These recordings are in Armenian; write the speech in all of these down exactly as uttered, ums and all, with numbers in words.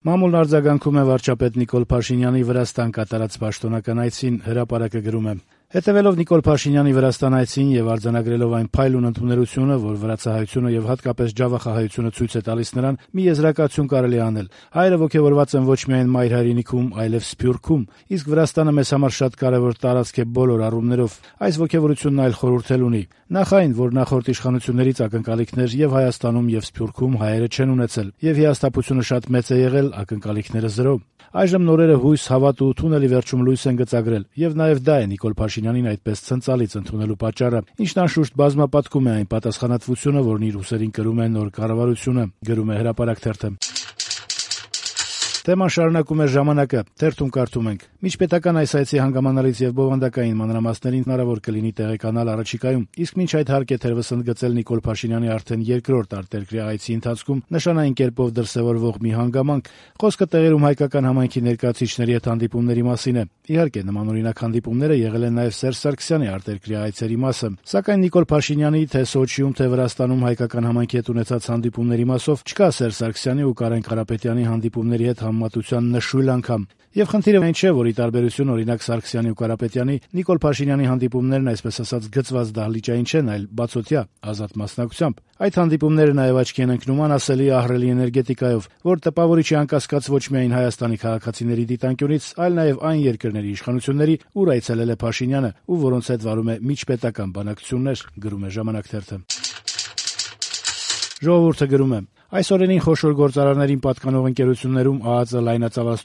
Մամուլն արձագանքում է վարչապետ Նիկոլ Փաշինյանի Վրաստան կատարած պաշտոնական այցին, Հրապարակը գրում է. Հետևելով Նիկոլ Փաշինյանի Վրաստան այցին եւ արձանագրելով այն փայլուն ընդունելությունը, որ վրացահայությունը եւ հատկապես ջավախահայությունը ցույց է տալիս նրան, մի եզրակացություն կարելի է անել. հայերը ոգեւորված են ոչ միայն մայր հայրենիքում, այլև Սփյուռքում, իսկ Վրաստանը մեզ համար շատ կարեւոր տարածք է բոլոր առումներով։ Այս ոգեւորությունն այլ խորհուրդ էլ ունի. նախ այն, որ նախորդ իշխանություններից ակնկալիքներ եւ Հայաստանում եւ Սփյուռքում հայերը չեն ունեցել, եւ հիասթափությունը շատ մեծ է եղել, ակնկալիքները զրո։ Այժմ նորերը հույս, հավատ ու թունելի վերջում լույս են գծագրել, եւ նաեւ դա է Նիկոլ Փաշինյանին այդպես ցնցալից ընդունելու պատճառը, ինչն անշուշտ բազմապատկում է այն պատասխանատվությունը, որն իր ուսերին կրում է նոր կառավարությունը, գրում է Հրապարակ թերթը։ Թեման շարունակում է Ժամանակը, թերթում կարդում ենք. Միջպետական այս այցի հանգամանալից եւ բովանդակային մանրամասներին հնարավոր կլինի տեղեկանալ առաջիկայում, իսկ մինչ այդ հարկ է թերևս ընդգծել Նիկոլ Փաշինյանի արդեն երկրորդ արտերկրյա այցի ընթացքում նշանային կերպով դրսեւորվող մի հանգամանք։ Խոսքը տեղերում հայկական համայնքի ներկայացուցիչների հետ հանդիպումների մասին է։ Իհարկե, նմանօրինակ հանդիպումները եղել են նաեւ Սերժ Սարգսյանի արտերկրյա այցերի մասը, սակայն Նիկոլ Փաշինյանի թե Սոչիում, թե Վրաստանում հայկական համայնքի հետ ունեցած հանդիպումների մասով չկա Սերժ Սարգսյանի ու Կարեն Կարապետյանի հանդիպումների հետ համեմատության նշույլ անգամ։ Եվ խնդիրը այն չէ, որ ի տարբերություն օրինակ Սարգսյանի ու Կարապետյանի, Նիկոլ Փաշինյանի հանդիպումներն այսպես ասած գծված դահլիճային չեն, այլ բացօթյա, ազատ մասնակցությամբ։ Այդ հանդիպումները նաև աչքի են ընկնում անասելի ահռելի էներգետիկայով, որ տպավորիչ է անկասկած ոչ միայն Հայաստանի քաղաքացիների դիտանկյունից, այլ նաև այն երկրների իշխանությունների, ուր այցելել է Փաշինյանը, ու որոնց հետ վարում է միջպետական բանակցություններ, գրում է Ժամանակ թերթը։ Ժողովուրդը գրում է. Այս օրերին խոշոր գործարարներին պատկանող ընկերություններում ԱԱԾ լայնածավալ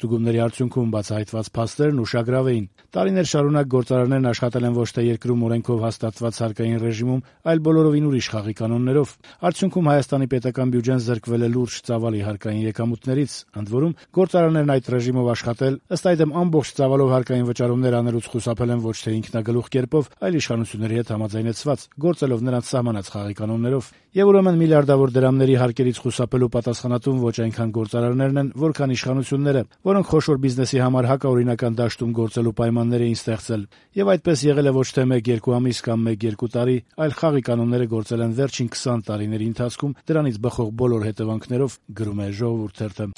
արդյունքում բացահայտված փաստերն ուշագրավ էին։ Տարիներ շարունակ գործարարներն աշխատել են ոչ թե երկրում օրենքով հաստատված հարկային ռեժիմում, այլ բոլորովին ուրիշ խաղի կանոններով։ Արդյունքում Հայաստանի պետական բյուջեն զրկվել է լուրջ ծավալի հարկային եկամուտներից, ընդ որում գործարարներն այդ ռեժիմով աշխատել, ըստ այդմ ամբողջ ծավալով հարկային վճարումներ անելուց խուսափել են ոչ թե ինքնագլուխ կերպով, այլ իշխանությունների հետ համաձայնեցված, գործելով նրանց սահմանած խաղի կանոններով։ Եվ ուրեմն միլիարդավոր դրամների հարկերից խուսափելու պատասխանատուն ոչ այնքան գործարարներն են, որքան իշխանությունները, որոնք խոշոր բիզնեսի համար հակաօրինական դաշտում գործելու պայմաններ էին ստեղծել։ Եվ այդպես եղել է ոչ թե մեկ-երկու ամիս կամ մեկ-երկու տարի, այլ խաղի կանոնները գործել են վերջին քսան տարիների ընթացքում դրանից բխող բոլոր հետևանքներով, գրում է Ժողովուրդ թերթը։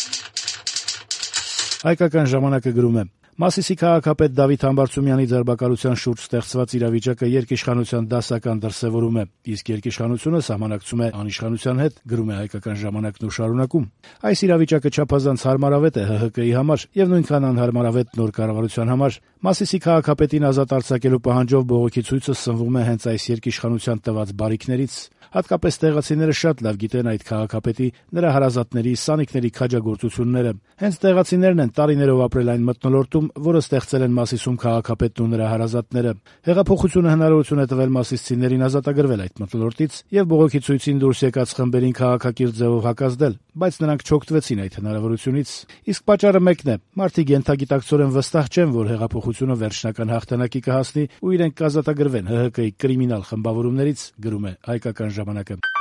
Հայկական ժամանակը գրում է. Մասիսի քաղաքապետ Դավիթ Համբարձումյանի ձերբակալության շուրջ ստեղծված իրավիճակը երկիշխանության դասական դրսևորում է, իսկ երկիշխանությունը սահմանակցում է անիշխանության հետ, գրում է Հայկական ժամանակն ու շարունակում. Այս իրավիճակը չափազանց հարմարավետ է ՀՀԿ-ի համար եւ նույնքան անհարմարավետ նոր կառավարության համար։ Մասիսի քաղաքապետին ազատ արձակելու պահանջով բողոքի ցույցը սնվում է հենց այս երկիշխանության տված բարիքներից։ Հատկապես տեղացիները շատ լավ գիտեն այդ քաղաքապետի, նրա հարազատների, սանիկների քաջագործությունները։ Հենց տեղացիներն են տարիներով ապրել այն մթնոլորտում, որը ստեղծել են Մասիսում քաղաքապետն ու նրա հարազատները։ Հեղափոխությունը հնարավորություն է տվել մասիսցիներին ազատագրվել այդ մթնոլորտից եւ բողոքի ցույցին դուրս եկած խմբերին քաղաքակիրթ ձևով հակազդել, բայց նրանք չօգտվեցին այդ հնարավորությունից։ Իսկ պատճառը մեկն է. մարդիկ ենթագիտակցորեն վստահ չեն, որ հեղափոխությունը վերջնական հաղթանակի կհասնի ու իրենք կազատագրվեն ՀՀԿ-ի կրիմինալ խմբավորումներից, գրում է Հայկական ժամանակը։